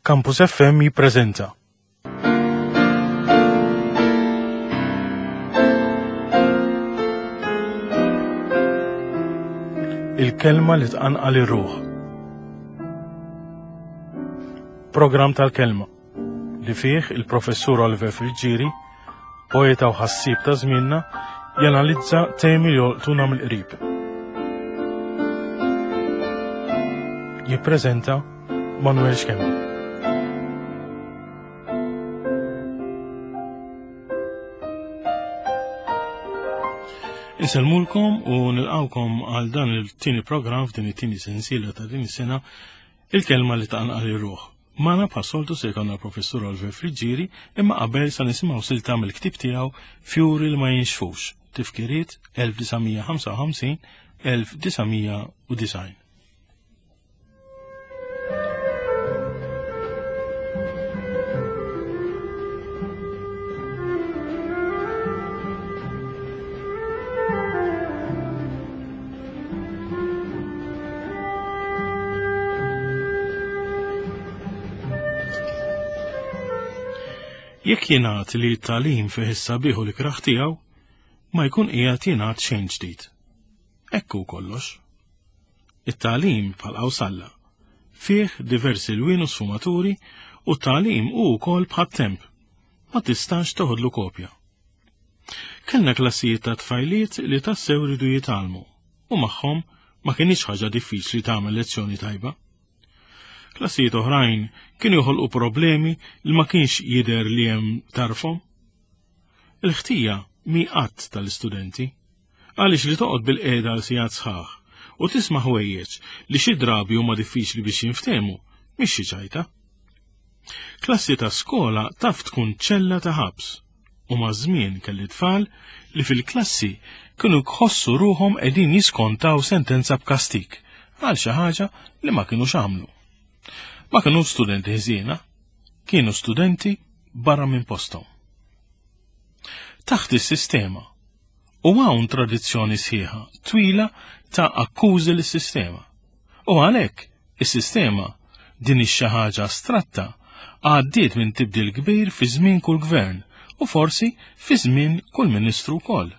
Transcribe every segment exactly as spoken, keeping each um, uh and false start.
Campus F M jippreżenta. Il-kelma li tqanqal ir-ruħ. Programm tal-kelma li fih il-professur Oliver Friggieri, poeta u ħassieb ta' żmienna, janalizza temi li jolqtuna mill-qrib. Jippreżenta Manuel Schembri. Insellmulkom u nilqawkom għal dan il-tieni programm f'din it-tieni sensiela ta' din is-sena, il-kelma li tqanqal ir-ruħ. Magħna bħas-soltu se jkollna l-professur Oliver Friggieri, imma qabel sa nisimgħu silta mill-ktieb tiegħu Fjuri li ma jinxfux, tifkiriet elf disa' mija ħamsa u ħamsin, elf disa' mija u disgħin. Jekk jingħad li t-tagħlim fih is-sabiħ u l-ikrah tiegħu, ma jkun qiegħed jingħad xejn ġdid. Hekk hu kollox. It-tagħlim bħal qawsalla fih diversi lwien u sfumaturi u t-tagħlim hu wkoll bħat-temp, ma tistax toħodlu kopja. Kellna klassijiet ta' tfajliet li tassew ridu jitgħallmu u magħhom ma kienx ħaġa diffiċli tagħmel lezzjoni tajba. Klassijiet oħrajn kienu joħolqu problemi li ma kienx jidher li hemm tarfhom. Il-ħtija mi qatt tal-istudenti, għaliex li toqgħod bil-qiegħda għal sigħat sħaħ u tisma' ħwejjeġ li xi drabi huma diffiċli biex jinftehmu, mhix xi ċajta. Klassi ta' skola taf tkun ċella ta' ħabs u maż-żmien kelli tfal li fil-klassi kienu jħossu ruħhom qegħdin jiskontaw sentenza b'kastik għal xi ħaġa li ma kinux għamlu. Ma kienu studenti ħżiena, kienu studenti barra minn posthom. Taħt is-sistema, u hawn tradizzjoni sħiħa twila ta' akkużi lis-sistema. U għalhekk is-sistema din ix-xi ħaġa astratta għaddiet minn tibdil kbir fi żmien kull gvern u forsi fi żmien kull ministru wkoll.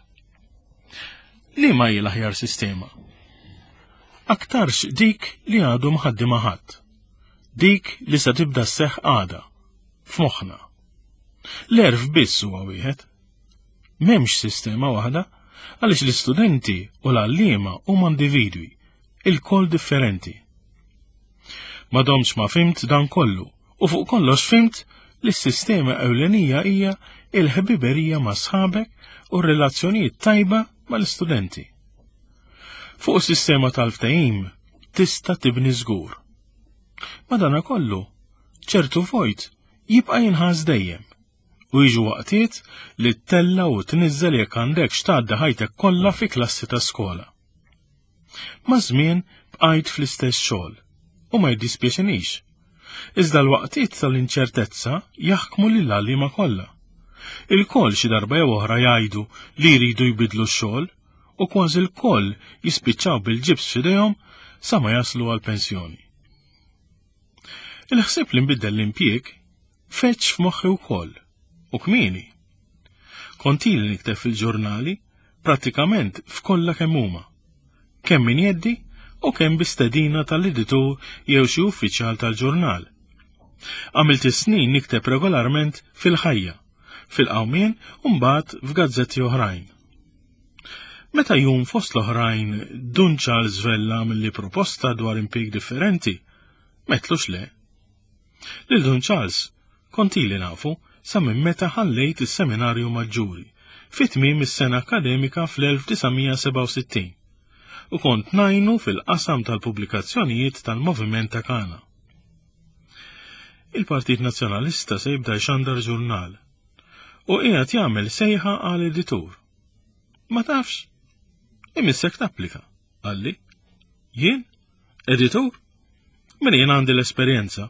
Liema hi l-aħjar sistema? Aktarx dik li għadu mħaddima ħadd. Dik li se tibda sseħħ għada, f'moħħna. L-erf biss huwa wieħed. M'hemmx sistema waħda, għaliex l-istudenti u l-għalliema huma individwi, ilkoll differenti. Ma domx ma fimt dan kollu, u fuq kollox fimt li s-sistema ewlenija hija il-ħbiberija ma' sħabek u r-relazzjonijiet tajba mal-istudenti. Fuq is-sistema tal-ftehim tista' tibni żgur. Madanakollu, ċertu vojt jibqa' jinħass dejjem u jiġu waqtiet li ttella u tniżżel jekk għandek x'tgħaddi ħajtek kollha fi klassi ta' skola. Maż-żmien bqajt fl-istess xogħol u ma jiddispjaċinix. Iżda l-waqtiet tal-inċertezza jaħkmu lill-għalliema kollha. Il-koll xi darba jew oħra jgħidu li jridu jbidlu x-xogħol u kważi l-koll jispiċċaw bil-ġibs f'idejhom sa ma jaslu għall-pensjoni. Il-ħsieb li nbiddel l-impjieg feċ f'moħħi wkoll u kmieni. Kont ili nikteb fil-ġurnali prattikament f'kollha kemm huma, kemm min jeddi u kemm bi stedina tal-editur jew xi uffiċjal tal-ġurnal. Għamilt is-snin nikteb regolarment fil-ħajja, fil-qawmien u mbagħad f'gazzetti oħrajn. Meta jum fost l-oħrajn Dun Charles Vella milli proposta dwar impjieg differenti, metlux le. Lil Dun Charles kont ili nafu sa minn meta ħallejt is-seminarju maġġuri fi tmiem is-sena akademika fl-elf disa' mija sebgħa u sittin u kont ngħinu fil-qasam tal-pubblikazzjonijiet tal-Moviment ta' Kana. Il-Partit Nazzjonalista se jibda jxandar ġurnal u qiegħed jagħmel sejħa għal editur. Ma tafx? Imissek tapplika, qalli. Jien? Editur? Min jien għandi l-esperjenza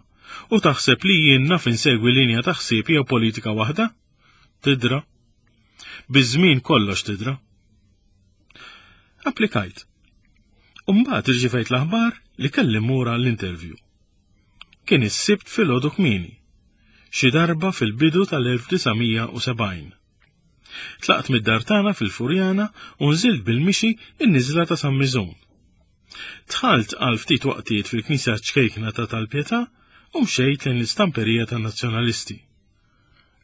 u taħseb li jien naf insegwi linja ta' ħsieb jew politika waħda? Tidra. Biż-żmien kollox tidra. Applikajt. U mbagħad irċivejt l-aħbar li kelli mmur għall-interview. Kien is-Sibt filgħodu kmieni, xi darba fil-bidu tal-elf disa' mija u sebgħin. Tlaqt mid-dar tagħna fil-Furjana u nżilt bil-mixi in-niżla ta' San Miżun. Dħalt għal ftit waqtiet fil-knisja ċkejkna ta' Tal-Pietà u mxejt lejn l-istamperija tan-Nazzjonalisti.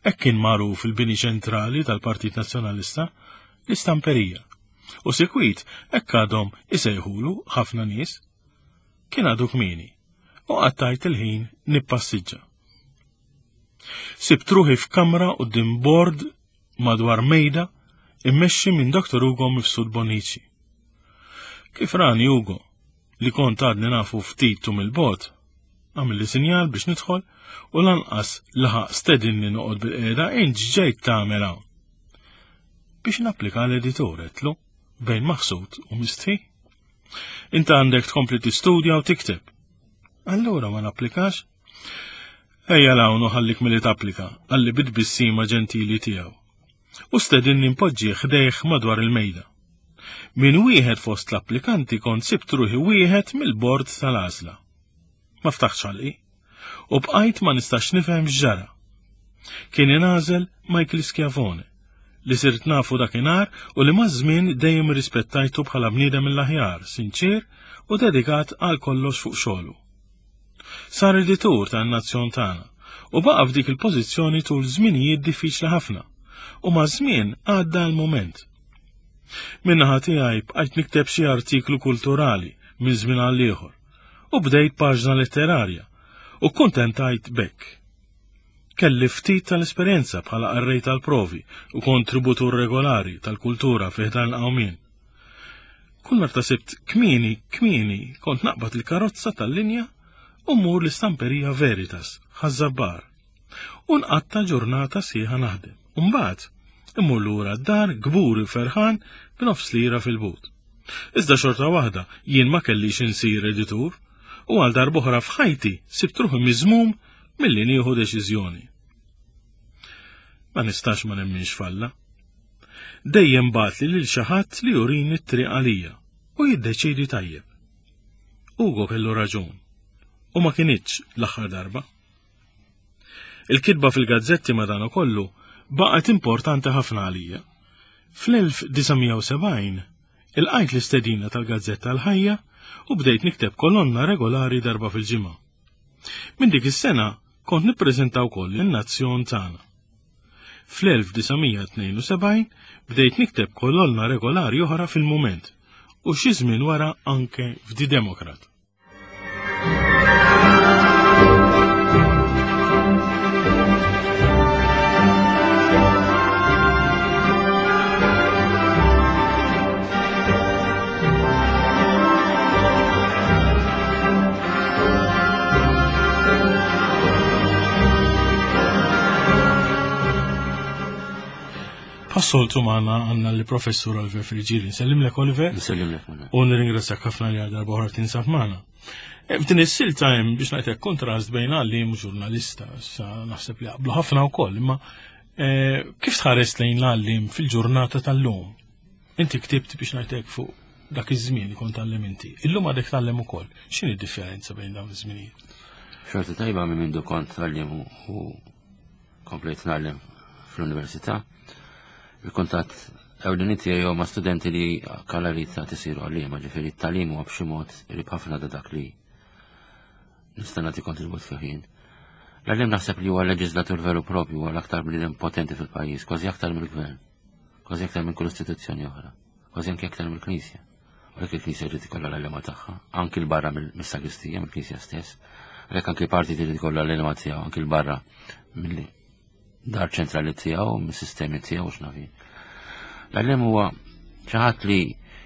Hekk kien magħruf il-bini ċentrali tal-Partit Nazzjonalista, l-istamperija. U sikwit hekk għadhom isejħulu ħafna nies. Kien għadu kmieni u qattajt il-ħin nippassiġġa. Sibt ruħi f'kamra quddiem bord madwar mejda immexxi minn Doktor Ugo Mifsud Bonnici. Kif rani Ugo, li kont għadni nafu ftit u mill-bogħod, għamilli sinjal biex nidħol u lanqas laħaq stedinni noqgħod bil-qiegħda int x'ġejt tagħmel hawn. Biex napplika l-editur għedtlu, bejn maħsud u mistħi. Inta għandek tkompli tistudja u tikteb. Allura ma napplikax? Ejja l-hawn u ħallik milli tapplika, qalli bit-tbissima ġentili tiegħu. U stedinni npoġġi ħdejh madwar il-mejda. Min wieħed fost l-applikanti kont sibt ruħi wieħed mill-bord tal-għażla. Ma ftaħtx ħalqi u bqajt ma nistax nifhem x'ġara. Kien ingħażel Michael Schiavone, li sirt nafu dakinhar u li maż-żmien dejjem rispettajtu bħala bniedem mill-aħjar, sinċir u dedikat għal kollox fuq xogħlu. Sar editur tan-nazzjon tagħna u baqa' f'dik il-pożizzjoni tul żminijiet diffiċli ħafna u maż-żmien għadda l-mument. Min-naħa tiegħi bqajt nikteb xi artiklu kulturali minn żmien għal ieħor u bdejt paġna letterarja u kuntentajt b'hekk. Kelli ftit tal-esperjenza bħala qarrej tal-provi u kontributur regolari tal-kultura fi ħdan il-qawmien. Kull meta sibt kmieni, kmieni kont naqbad il-karozza tal-linja u mmur l-istamperija Veritas, Ħaż-Żabbar, u nqatta' ġurnata sħiħa naħdem. U mbagħad immur lura d-dar kburi u ferħan b'nofs lira fil-but. Iżda xorta waħda jien ma kellix insir editur u għal darb'oħra f'ħajti sibt ruħi miżmum milli nieħu deċiżjoni. Ma nistax ma nemminx falla. Dejjem bagħatli lil xi ħadd li jurini t-triq għalija u jiddeċiedi tajjeb. Ugo kellu raġun u ma kinitx l-aħħar darba. Il-kitba fil-gazzetti madanakollu baqgħet importanti ħafna għalija. Fl-elf disa' mija u sebgħin ilqajt l-istedina tal-Gazzetta l-Ħajja u bdejt nikteb kolonna regolari darba fil-ġimgħa. Minn dik is-sena kont nippreżenta wkoll in-Nazzjon tagħna. Fl-elf disa' mija tnejn u sebgħin bdejt nikteb kolonna regolari oħra fil-Mument u xi żmien wara anke f'Di Democrat. Passoltu maħna għanna li professur Oliver Friggieri. Nsellimlek Oliver. Nsellimlek Manuel. U nirringrazzjak ħafna li għal darba oħra tinsab magħna. E, f'din is-silta hemm biex ngħidlek kontrast bejn għalliem u ġurnalista, issa naħseb li jaqblu ħafna wkoll, imma, e, kif tħares lejn l-għalliem fil-ġurnata tal-lum? Inti ktibt biex ngħidlek fuq dak iż-żmien li kont tgħallem inti. Illum għadek tgħallem ukoll. X'inhi d-differenza bejn dawn iż-żminijiet? Xorta tajba minn mindu kont tgħallem u, u komplejt ngħallem fl-università. Il-kuntatt ewlieni tiegħi huma studenti li kalarita tisiru għalliema, ġifieri t-tagħlim huwa b'xi mod qrib ħafna ta' dak li nista' nagħti kontribut fih jien. L-għalliem naħseb li huwa leġislatur veru propju, huwa l-aktar bniedem potenti fil-pajjiż, kważi aktar mill-gvern, kważi aktar minn kull istituzzjoni oħra, kważi anke aktar mill-Knisja. U għalhekk il-Knisja jrid ikollha l-għalliema tagħha, anki l-barra mill-sagristija, mill-Knisja stess. Għalhekk anki parti trid ikollha l-għalliema tiegħu, anki l-barra mill-dar ċentrali tiegħu, mis-sistemi tiegħu, x'naf jien. L-għalliem huwa xi ħadd li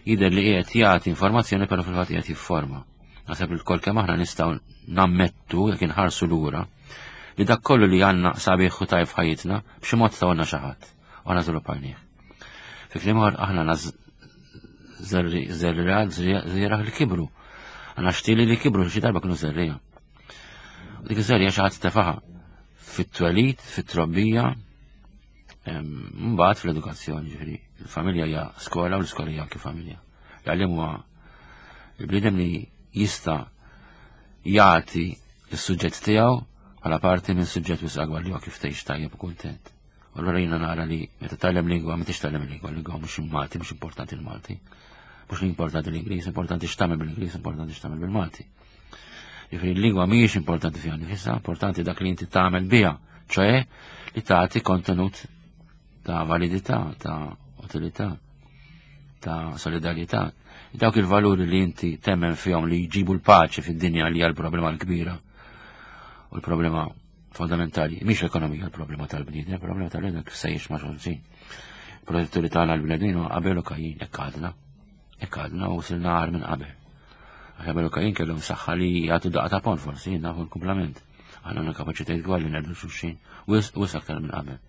jidher li qiegħed jagħti informazzjoni però fil-fatt qiegħed jifforma. Naħseb li lkoll kemm aħna nistgħu nammettu jekk inħarsu lura li dak kollu li għandna sabiħ u tajb f'ħajjitna b'xi mod tawna xi ħadd u aħna żviluppajnieh. Fi kliem ieħor aħna żerriegħa żrieragħ li kibru. Għandna xtieli li kibru xi darba kienu żerriegħa. U dik iż-żerriegħa xi ħadd tefaħa fit-twelid, fit-trobbija, mbagħad fl-edukazzjoni, ġifieri il-familja hija skola u l-iskola hija anke familja. L-għalliem huwa il-bniedem li jista' jagħti Is-suġġett tiegħu bħala parti minn suġġett wisq akbar li huwa kif tgħix tajjeb u kuntent. U allura jiena nara li meta tgħallem lingwa ma tix tgħallem lingwa, lingwa mhux Malti, mhux importanti l-Malti. Mhux l-importanti l-Ingliż, importanti x'tagħmel bil-Ingliż, importanti x'tagħmel bil-Malti. Jiġifieri l-lingwa mhijiex importanti fiha nifisha, importanti dak li inti tagħmel biha, ċoè li tagħti kontenut ta' validità, ta' utilità, ta' solidarjetà. Dawk il-valuri li inti temmen fihom li jġibu l-paċi fid-dinja li hija l-problema l-kbira u l-problema fondamentali. Mhix l-ekonomija l-problema tal-bniedem, il-problema tal-bniedem kif se jgħix ma' xulxin. Protetturi tagħna l-bnedmin huwa Abel u Kajin, hekk għadna. Hekk għadna u silna agħar minn qabel. Għax Abel u Kajin kellhom saħħa li jagħtu daqqa ta' ponn forsi, nafu l-kumplament. Aħna għandna kapaċitajiet kbar li neqirdu xulxin, wisq aktar minn qabel.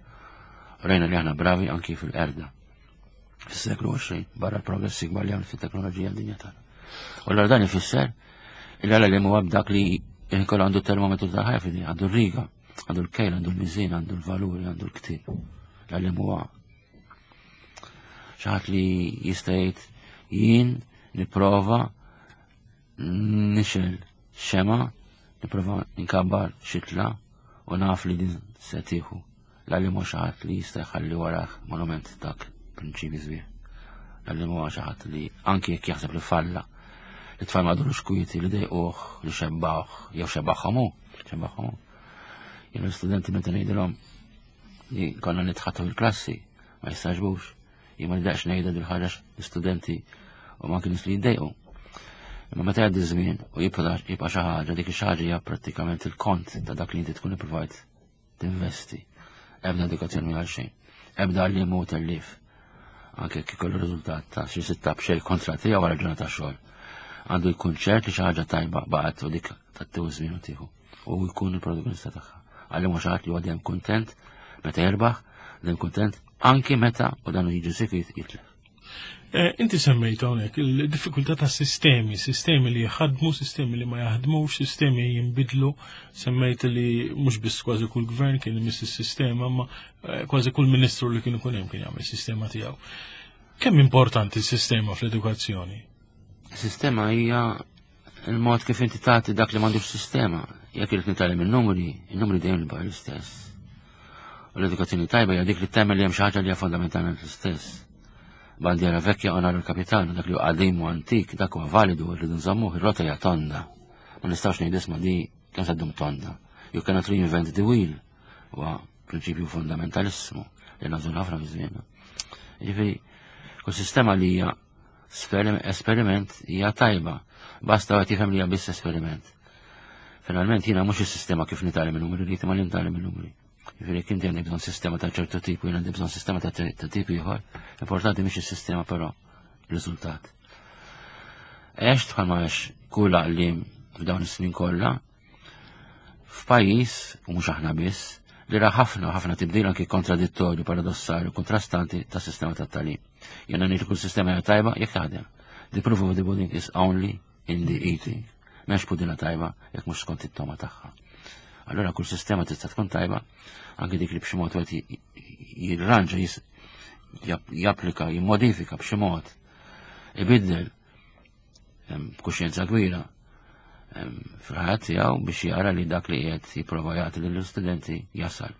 Rajna li aħna bravi anki fil-qerda. Fis-seklu għoxrin, barra l-progressi kbar li għamlu fit-teknoloġija d-dinja tagħna. U allura dan ifisser il għala li huwa b'dak li jkollu għandu termometru tal-ħajja fidi, għandu r-riga, għandu l-kejl, għandu l-miżin, għandu l-valuri, għandu l-ktib. L-għallim huwa xi ħadd li jista' jgħid jien nipprova nixgħel xemgħa, nipprova nkabbar xitla u naf li din se tieħu. L-għallim huwa xi ħadd li jista' jħalli warah monument dak prinċipi sbieħ. L-għallim huwa xi ħadd li anki jekk jaħseb li falla, li tfal ma durux kwieti, li dejquh, li xebbawh, jew xebbaħhom hu, xebbaħhom hu. Jien l-istudenti meta ngħidilhom li konna nitħaddtu fil-klassi, ma jistaġbux. Jien ma nidaqx ngħidha dil ħaġa l-istudenti u ma kienx li jiddejqu. Imma meta jgħaddi żmien u jibqa' jibqa' xi ħaġa, dik ix ħaġa hija prattikament il-kont ta' dak li inti tkun ippruvajt tinvesti. Ebda edukazzjoni għal xejn. Ebda għalliem hu tellif. Anke jekk ikollu riżultat ta' xi sitta b'xejn kontra tiegħu wara ġurnata xogħol. Għandu jkun ċert li xi ħaġa tajba baqgħet u dik tattew żmien u tieħu. U jkun il-protagonista tagħha. Għalliem xi ħadd li huwa dejjem kuntent meta jirbaħ, dejjem kuntent anki meta u dan jiġi sikwit jitlef. Eh, inti semmejt hawnhekk il-diffikultà ta' sistemi, sistemi li jaħdmu, sistemi li ma jaħdmux, sistemi jinbidlu. Semmejt li mhux biss kważi kull gvern kien imiss is-sistema, ma eh, kważi kull ministru li kien ikun hemm kien jagħmel sistema tiegħu. Kemm importanti s-sistema fl-edukazzjoni? Sistema hija il-mod kif inti tagħti dak li m'għandux sistema. Jekk irid nitgħallem in-numri, in-numri dejjem jibqa' l-istess. U l-edukazzjoni tajba hija dik li tagħmel li hemm xi ħaġa li hija fondamentalment l-istess. Bandiera vecchia onora al capitano, dak li huwa qadim u antik, dak huwa validu rridu nżammuh, ir-rota hija tonda. Ma nistgħux ngħidu isma' di kemm se ddum tonda. You cannot reinvent the wheel. Huwa prinċipju fundamentalissmu li nagħżlu ħafna fi żmienna. Jiġifieri, kull sistema li hija esperiment hija tajba, basta għat jifhem li hija biss esperiment. Finalment jiena mhux is-sistema kif nitgħallem il-numri li ma li nitgħallem il-numri. Jiġifieri jekk inti għandek bżonn sistema ta' ċertu tip u jien għandi bżonn sistema ta' tip ieħor, importanti mhix is-sistema però riżultat. Għext bħalma għex kull għalliem f'dawn is-snin kollha f'pajjiż u mhux aħna biss li ra ħafna ħafna tibdil anki kontradittorju, paradossali, kontrastanti ta' sistema ta' tagħlim. Jiena ngħid kull sistema hija tajba jekk taħdem. The proof of the pudding is only in the eating. M'hemmx pudina tajba jekk mhux skont it-togħma tagħha. Allora kull sistema tista' tkun tajba anke dik li b'xi mod wieħed jirranġa, japplika, jimmodifika b'xi mod, ibiddel b'kuxjenza kbira fil-ħajja tiegħu biex jara li dak li qiegħed jipprova jagħti lill-istudenti jasal.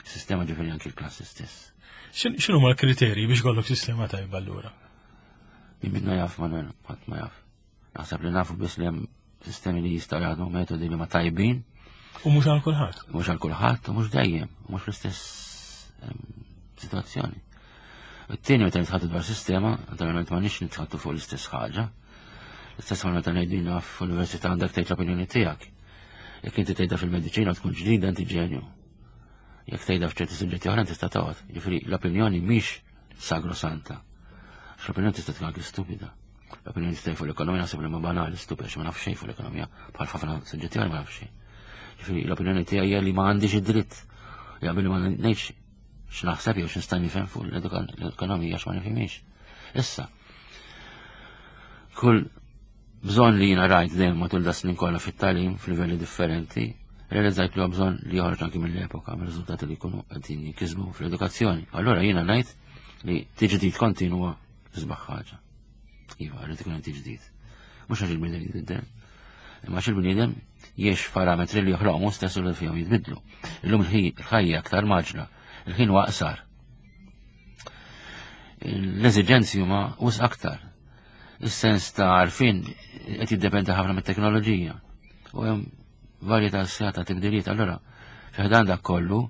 Sistema ġifieri anki l-klassi stess. X'inhu ma l-kriterji biex ikollok sistema tajba allura? Jien jaf ma ħadd ma jaf. Naħseb li nafu biss li hemm sistemi li jistgħu jaħdmu, metodi li ma tajbin. U mhux għal kulħadd. Mhux għal kulħadd u mhux dejjem, u mhux fl-istess situazzjoni. It-tieni meta nitħaddtu dwar sistema, naturalment ma nix nitħaddtu fuq l-istess ħaġa. L-istess ħaġa meta ngħidina f'università għandek tgħid l-opinjoni tiegħek. Jekk inti tgħidha fil-mediċina tkun ġdida inti ġenju. Jekk tgħidha f'ċerti suġġetti oħra tista' toqgħod. Jiġifieri l-opinjoni mhix sagrosanta. Għax l-opinjoni tista' tkun anke stupida. L-opinjoni tista' fuq l-ekonomija naħseb li ma banali stupida għax ma naf xejn fuq l-ekonomija bħal ħafna suġġetti oħra ma naf xejn. Jiġifieri l-opinjoni tiegħi hija li ma għandix id-dritt. Jaqbel ma ngħidx x'naħseb jew x'nista' nifhem fuq l-ekonomija għax ma nifhimix. Issa, kull bżonn li jiena rajt dejjem matul da snin kollha fit-tagħlim f'livelli differenti, realizzajt li huwa bżonn li joħroġ anki mill-epoka, mir-riżultati li jkunu qegħdin jinkisbu fl-edukazzjoni. Allura jiena ngħid li tiġdid kontinwa isbaħ ħaġa. Iva, rrid ikun hemm tiġdid. Mhux għax il-bniedem jitbiddel. Imma xil-bniedem jiex parametri li joħloqhom stess u li fihom jitbidlu. Illum il-ħajja aktar maġla, il-ħin huwa aqsar. L-eżiġenzi huma wisq aktar. Is-sens ta' għarfien qed jiddependi ħafna mit-teknoloġija. U hemm varjetà sħiħa ta' tibdiliet. Allura, fi ħdan dak kollu,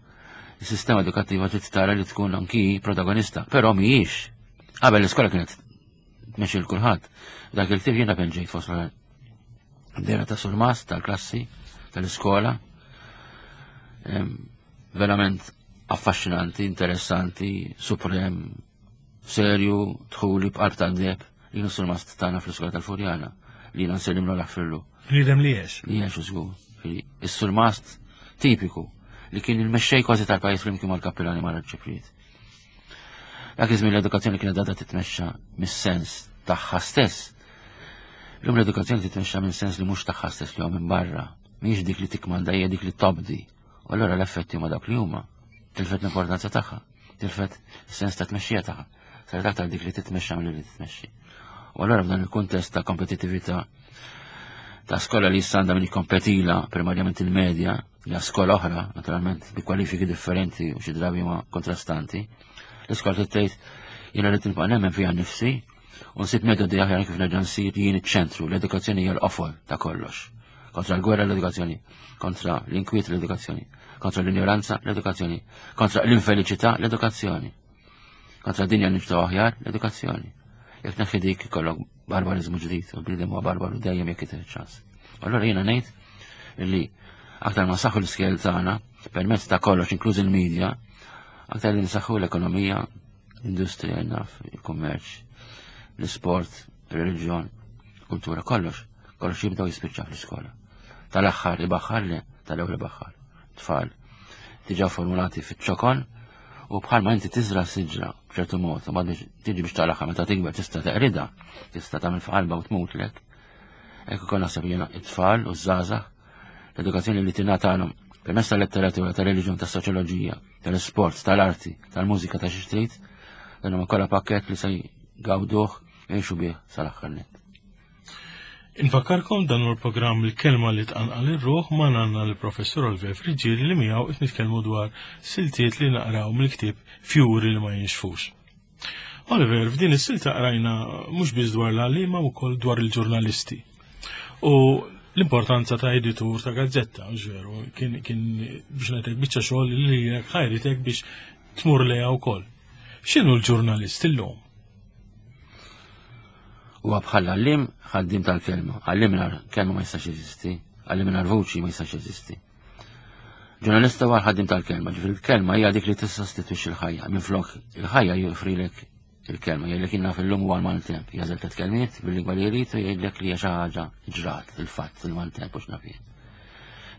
is-sistema edukattiva trid tara li tkun anki protagonista, però mhijiex. Qabel l-iskola kienet tmexxi l kulħadd. Dak il-ktieb jiena penġejt fost dera ta' surmast tal-klassi tal-iskola. Verament affaxxinanti, interessanti, suprem, serju, dħuli b'qalb tad-deheb, li kienu surmast tagħna fl-iskola tal-Furjana, li jiena nsellimlu naħfirlu. Bniedem li għex. Li għex żgur. Is-surmast tipiku li kien il-mexxej kważi tal-pajjiż flimkien mal-kappillani mal-arċipriet. Dak iż-żmien l-edukazzjoni kienet għadha titmexxa mis-sens tagħha stess. Illum l-edukazzjoni titmexxa minn sens li mhux tagħha stess li huwa minn barra. Mhijiex dik li tikmanda, hija dik li tobdi. U allura l-effetti huma dawk li huma. Tilfet l-importanza tagħha, tilfet is-sens ta' tmexxija tagħha. Saret aktar dik li titmexxa milli li titmexxi. U allura f'dan il-kuntest ta' kompetittività ta' skola li issa għandha min jikkompetila primarjament il-medja, hija skola oħra, naturalment, bi kwalifiki differenti u xi drabi ma kontrastanti. L-iskola trid tgħid jiena rrid nibqa' nemmen fiha nnifsi u nsib metodi aħjar kif nerġa' nsir jien iċ-ċentru, l-edukazzjoni hija l-qofol ta' kollox. Kontra l-gwerra l-edukazzjoni, kontra l-inkwiet l-edukazzjoni, kontra l-ignoranza l-edukazzjoni, kontra l-infeliċità l-edukazzjoni, kontra dinja nibtaw aħjar l-edukazzjoni. Jekk tneħħi dik ikollok barbarizmu ġdid, u bniedem huwa barbaru dejjem jekk jitih ċans. Allura jiena ngħid li aktar ma saħħu l-iskel tagħna permezz ta' kollox inkluż il-medja, aktar li nsaħħu l-ekonomija, l-industrija, naf, il-kummerċ, l-isport, il-reliġjon, kultura, kollox. Kollox jibda u jispiċċa fl-iskola. Tal-aħħar ibaħħar le, tal-ewwel ibaħħar. Tfal, diġà formulati fiċ-ċokon u bħalma inti tiżra siġra b'ċertu mod, u bad tiġi biex tal-aħħar meta tikber tista' teqrida, tista' tagħmel f'qalba u tmutlek. Hekk ukoll naħseb jiena it-tfal u ż-żgħażagħ, l-edukazzjoni li tingħatalhom permezz tal-letteratura, tal-reliġjon, tas-soċjoloġija, tal-isport, tal-arti, tal-mużika, ta' xi trid, dan huma kollha pakkett li se jgawduh jgħixu bih sal-aħħar nett. Infakkarkom dan hu l-programm Il-Kelma li tqanqal ir-ruħ ma għandna l-Professur Oliver Friggieri li miegħu qed nitkellmu dwar siltiet li naqraw mill-ktieb Fjuri li ma jinxfux. Oliver, f'din is-silta qrajna mhux biss dwar l-għalliema wkoll dwar il-ġurnalisti. U l-importanza ta' editur ta' gazzetta, mhux veru, kien, kien biex ngħidlek biċċa xogħol li ħajritek biex tmur lejha wkoll. X'inhu l-ġurnalist illum? Huwa bħal għallim ħaddim tal-kelma. Għallim mingħajr kelma ma jistax jeżisti, għallim mingħajr vuċi ma jistax jeżisti. Ġurnalista huwa ħaddim tal-kelma, ġifieri l-kelma hija dik li tissostitwixxi l-ħajja. Minflok il-ħajja joffrilek il-kelma, jgħidlek jiena fil-lum huwa l-maltemp, jagħżel tliet kelmiet bil-lingwa li jrid u jgħidlek li hija xi ħaġa ġrat, il-fatt, il-maltemp u x'naf jien.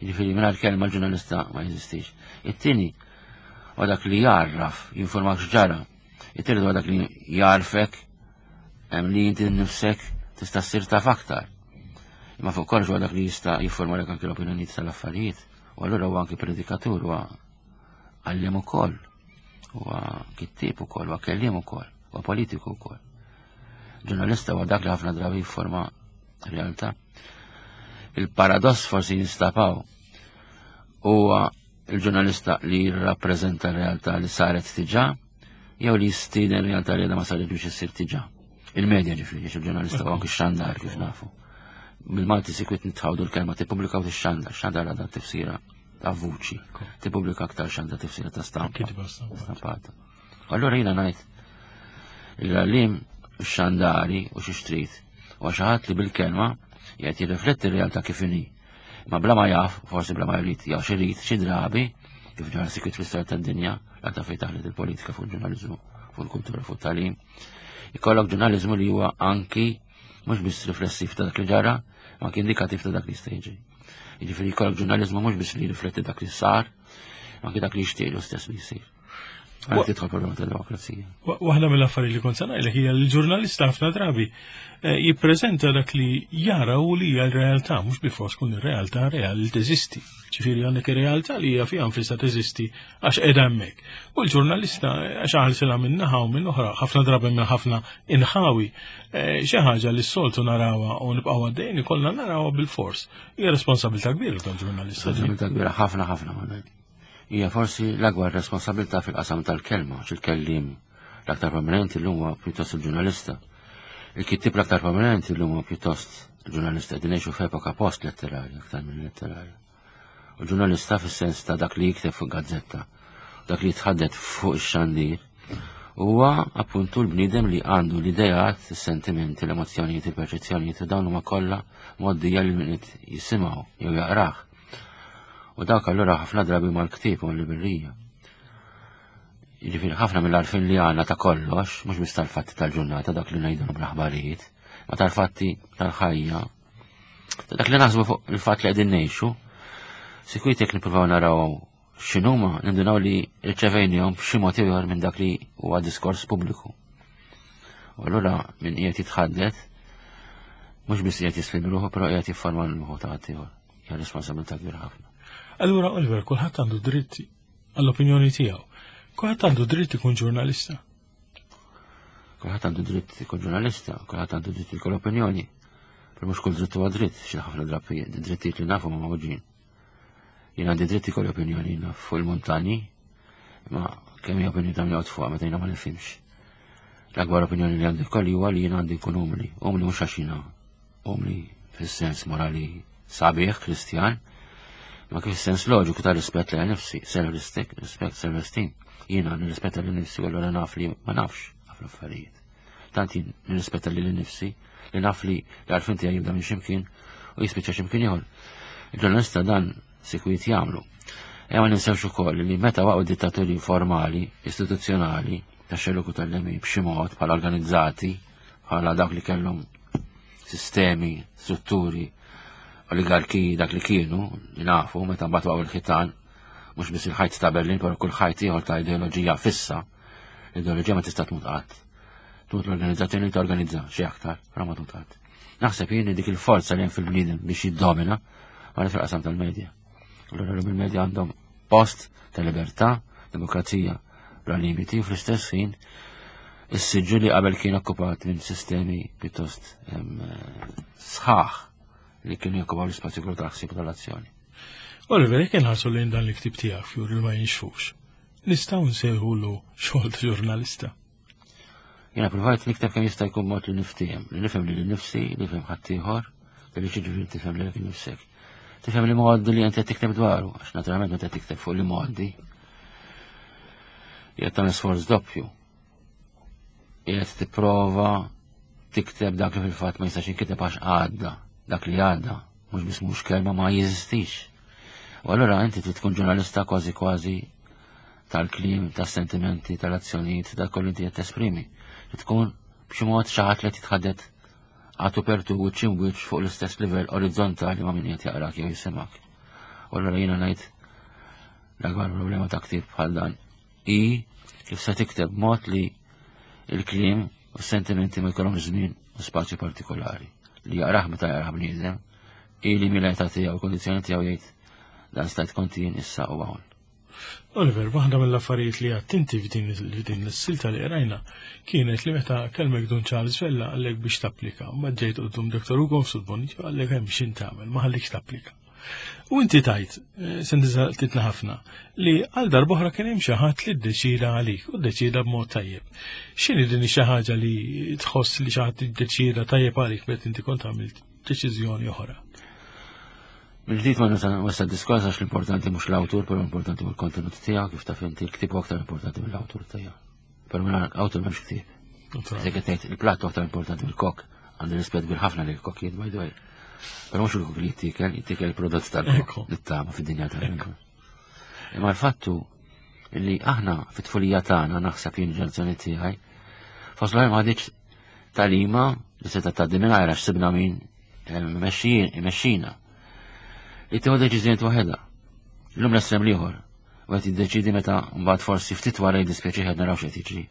Jiġifieri mingħajr kelma l-ġurnalista ma jeżistix. It-tieni huwa dak li jarraf, jinformak x'ġara. It-tielet huwa dak li jarfek hemm li inti nnifsek tista' ssir taf aktar. Imma fuq kollox huwa dak li jista' jifformalek anke l-opinjonijiet tal-affarijiet. U allura huwa anke predikatur, huwa għalliem ukoll, huwa kittieb ukoll, huwa kelliem ukoll, huwa politiku wkoll. Ġurnalista huwa dak li ħafna drabi jifforma realtà. Il-paradoss forsi jinstapaw huwa il-ġurnalista li jirrappreżenta r-realtà li saret diġà jew li jistieden realtà li għadha ma saret biex issir diġà. Il-medja ġifieri, għax il-ġurnalista huwa anki xandar kif nafu. Bil-Malti sikwit nitħawdu l-kelma tippubblika u tixxandar, xandar għadha tifsira ta' vuċi, tippubblika aktar xandar tifsira ta' stampa. Kitba stampa. Stampata. Allura jiena ngħid il-għallim xandari u xi xtrid u xi ħadd li bil-kelma jgħid jirrifletti r-realtà kif inhi. Ma bla ma jaf, forsi bla ma jrid, jew xi jrid, xi drabi, kif ġara sikwit fl-istorja tad-dinja, l-aktar fejn taħlet il-politika fuq il-ġurnaliżmu, fuq il-kultura, fuq it-tagħlim. Ikollok ġurnaliżmu li huwa anki mhux biss riflessiv ta' dak li ġara, ma anki indikattiv ta' dak li jista' jiġri. Jiġifieri jkollok ġurnaliżmu mhux biss li jirrifletti dak li sar, ma anki dak li jixtieq stess li jsir. Għalhekk tidħol problema ta' demokrazija. Waħda mill-affarijiet li kont se ngħidlek hija li l-ġurnalista ħafna drabi eh, jippreżenta dak li jara u li hija l-realtà, mhux bilfors tkun ir-realtà reali li teżisti. Ġifieri għandek ir-realtà li hija fiha nfisha teżisti għax qiegħda hemmhekk. U l-ġurnalista għax ħalsilha minn naħa u minn oħra, ħafna drabi minn ħafna inħawi, eh, xi ħaġa li s-soltu narawha u nibqgħu għaddejjin ikollna narawha bil-fors. Hija responsabilità kbira tal-ġurnalista. Responsabilità kbira ħafna ħafna Manuel. Hija forsi l-akbar responsabilità fil-qasam tal-kelma, għax il-kelliem l-aktar prominenti llum huwa pjuttost il-ġurnalista. Il-kittieb l-aktar prominenti llum huwa pjuttost il-ġurnalista. Qegħdin ngħixu f'epoka post-letterarja aktar minn letterarja. U l-ġurnalista fis-sens ta' dak li jikteb fuq gazzetta, dak li jitħaddet fuq ix-xandir, huwa appuntu l-bniedem li għandu l-idejat, is-sentimenti, l-emozzjonijiet, il-perċezzjonijiet, u dawn huma kollha mgħoddija lil min qed jisimgħu jew jaqrah. U dak allura ħafna drabi mal-ktieb u l-librerija. Jiġifieri ħafna mill-għarfien li għandna ta' kollox, mhux biss tal-fatti tal-ġurnata, dak li ngħidulhom l-aħbarijiet, ma tal-fatti tal-ħajja, ta' dak li naħsbu fuq il-fatt li qegħdin ngħixu, sikwit jekk nippruvaw naraw x'inhuma, nindunaw li rċevejnihom b'xi mod ieħor minn dak li huwa diskors pubbliku. U allura min qiegħed jitħaddet mhux biss qiegħed jislim ruħu, però qiegħed jifforma l-moħħ ta' ħaddieħor. Hija responsabilità kbira ħafna. Allura Oliver, kulħadd għandu dritt għall-opinjoni tiegħu. Kulħadd għandu dritt ikun ġurnalista. Kulħadd għandu dritt ikun ġurnalista, kulħadd għandu dritt ikun opinjoni. Però mhux kull dritt huwa dritt, xi ħafna drabi drittijiet li nafu ma mawġin. Jien għandi dritt ikolli opinjoni naf fuq il-montani, ma kemm hija opinjoni ta' min joqgħod fuqha meta jiena ma nifhimx. L-akbar opinjoni li għandi kolli huwa li jiena għandi nkun umli, umli mhux għax jiena umli fis-sens morali sabiħ, Kristjan, ma kif sens loġiku ta' rispett lejn nifsi, self-respect, respect, self-esteem. Jiena nirrispetta lil nifsi u allura naf li ma nafx ħafna affarijiet. Tant jien nirrispetta lil nifsi li naf li l-għarfien tiegħi jibda minn x'imkien u jispiċċa x'imkien ieħor. Il-ġurnalista dan sikwit jagħmlu. Ejja ma ninsewx ukoll li meta waqgħu dittaturi formali, istituzzjonali, ta' xellug u tal-lemin b'xi mod bħala organizzati, bħala dawk li kellhom sistemi, strutturi, oligarkiji dak li kienu, li nafu, meta mbagħad waqgħu il-ħitan, mhux biss il-ħajt ta' Berlin, però kull ħajt ieħor ta' ideoloġija fissa, l-ideoloġija ma tista' tmut qatt. Tmut l-organizzazzjoni li torganizza xi aktar, però ma tmut qatt. Naħseb jien li dik il-forza li hemm fil-bniedem biex jiddomina għal fil-qasam tal-medja. Allura l il-medja għandhom post ta' libertà, demokrazija bla limiti u fl-istess ħin is-siġġu li qabel kien okkupat minn sistemi pjuttost sħaħ li kienu jokkupaw l-ispazju kollu tal-ħsieb u tal-azzjoni. Oliver, jekk inħarsu lejn dan l-ktib tiegħek Fjur li ma jinxfux, nistgħu nsejħulu xogħol ta' ġurnalista. Jiena provajt nikteb kemm jista' jkun mod li niftiehem, li nifhem lili nnifsi, li nifhem ħaddieħor, li ġifieri tifhem lilek innifsek. Tifhem li mgħoddi li inti qed tikteb dwaru, għax naturalment meta tikteb fuq li mgħoddi. Qiegħed tagħmel sforz doppju. Qiegħed tipprova tikteb dak li fil-fatt ma jistax jinkiteb għax għadda, dak li għadda, mhux biss mhux kelma ma jeżistix. U allura inti trid tkun ġurnalista kważi kważi tal-kliem, tas-sentimenti, tal-azzjonijiet, dak kollu inti qed tesprimi. Trid tkun b'xi mod xi ħadd li titħaddet għatu pertu wiċċ imwiċċ fuq l-istess livell orizzontali ma' min qed jaqrak jew jisimak. U allura jiena ngħid l-akbar problema ta' ktieb bħal dan hi kif se tikteb mod li il-kliem u s-sentimenti ma jkollhomx żmien u spazju partikolari. Li jaqrah meta jaqrah bniedem, i li mill-età tiegħu u kondizzjoni tiegħu jgħid dan stajt kont jien issa u hawn. Oliver, waħda mill-affarijiet li għedt inti f'din f'din l-silta li qrajna kienet li meta kellmek Dun Charles Vella qallek biex tapplika, mbagħad ġejt quddiem Dottor Ugo Mifsud Bonnici qallek hemm x'int tagħmel, ma ħallikx tapplika. U inti tajt, eh, sentitna ħafna, li għal darb'oħra kien hemm xi ħadd li ddeċida għalik u ddeċida b'mod tajjeb. X'inhi din xi ħaġa li tħoss li xi ħadd iddeċida tajjeb għalik meta inti kont għamilt deċiżjoni oħra? Mill-ġdid ma nista' nwessa' diskors għax l-importanti mhux l-awtur, però l-importanti hu l-kontenut tiegħu, kif taf inti l-ktieb huwa aktar importanti mill-awtur tiegħu. Però mingħajr awtur m'hemmx ktieb. Se qed tgħid il-platt aktar importanti mill-kok, għandi rispett kbir ħafna lil kokkijiet by the way. Però mhux il-kok li jittiekel, jittiekel il-prodott tal-kok li tama fid-dinja tagħna. Imma l-fattu li aħna fit-tfulija tagħna naħseb jien ġenerazzjoni tiegħi, fost l ma ħadiċ talima li seta' tgħaddi mingħajr għax sibna min imexxina. Li tieħu deċiżjonijiet waħedha. Illum l-estrem l-ieħor. U qed jiddeċidi meta mbagħad forsi ftit wara jiddispjaċih qed naraw x'qed jiġri.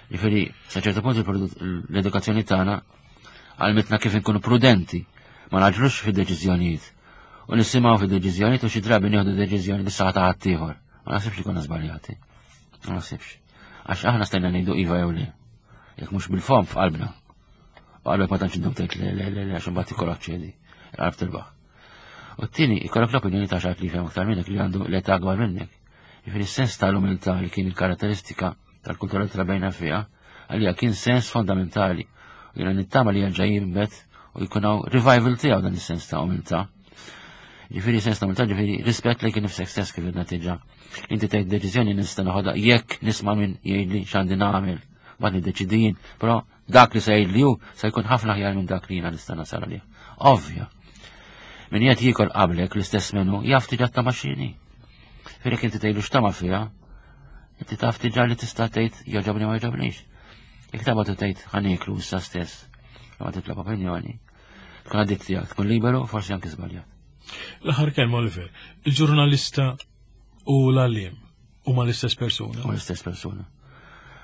Jiġifieri, sa ċertu punt l-edukazzjoni tagħna għalmitna kif inkunu prudenti, ma naġlux fid-deċiżjonijiet. U nisimgħu fid-deċiżjonijiet u xi drabi nieħdu deċiżjoni li saħta ħaddieħor. Ma naħsibx li konna żbaljati. Ma naħsibx. Għax aħna stajna ngħidu iva jew le. Jekk mhux bil-fom f'qalbna. U qalbek ma tantx indum tgħid le le le le għax imbagħad ikollok ċedi. Il-qalb tirbaħ. U t-tieni ikollok l-opinjoni ta' xi li jifhem aktar minnek li għandu l-età akbar minnek. Jiġifieri s-sens tal-umiltà li kien il-karatteristika tal-kultura li trabejna fiha, għalija kien sens fondamentali. U jiena nittama li jerġa' jinbet u jkun hawn revival tiegħu dan is-sens ta' umiltà. Ġifieri sens ta' umiltà, ġifieri rispett lejk nifsek stess kif għedna diġà. Inti tgħid deċiżjoni nista' noħodha jekk nisma' min jgħidli x'għandi nagħmel. Mbagħad niddeċidi jien, però dak li se jgħidli hu se jkun ħafna aħjar minn dak li jiena nista' nasal għalih. Ovvja. Min qed jiekol qablek l-istess menu jaf diġà tama x'inhi. Firek inti tgħidlu x'tama fiha, inti taf diġà li tista' tgħid jogħġobni ma jogħġobnix. Jekk tabgħat u tgħid ħa nieklu issa stess, ma titlob opinjoni, tkun għaddit tiegħek, tkun liberu, forsi anke żbaljat. L-aħħar kelma Oliver, il-ġurnalista u l-għalliem huma l-istess persuna. U l-istess persuna.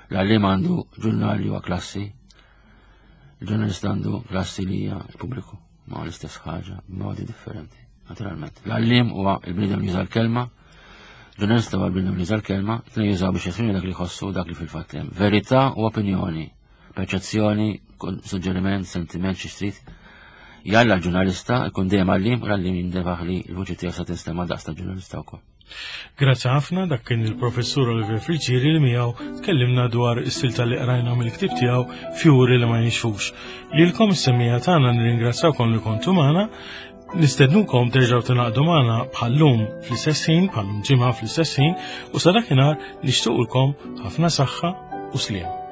L-għalliem għandu ġurnali huwa klassi, il-ġurnalista għandu klassi li hija l-pubbliku, ma l-istess ħaġa, b'modi differenti, naturalment. L-għalliem huwa il-bniedem li juża l-kelma, ġurnalista huwa l-bniedem li juża l-kelma, tnejn jużaw biex jesprimi dak li jħossu dak li fil-fatt hemm. Verità u opinjoni, perċezzjoni, suġġeriment, sentiment, xi trid. Jalla l-ġurnalista ikun dejjem għalliem u l-għalliem jintebaħ li l-vuċi tiegħu sa tinstema' daqs tal-ġurnalista wkoll. Grazzi ħafna dak kien il-professur Oliver Friggieri li miegħu tkellimna dwar is-silta li qrajna mill-ktieb tiegħu Fjuri li ma jinxfux. Lilkom is-semmiegħa tagħna nirringrazzawkom li kontu magħna, nistednukom terġgħu tingħaqdu magħna bħallum fl-istess ħin, bħallum ġimgħa fl-istess ħin, u sa dakinhar nixtiequlkom ħafna saħħa u sliem.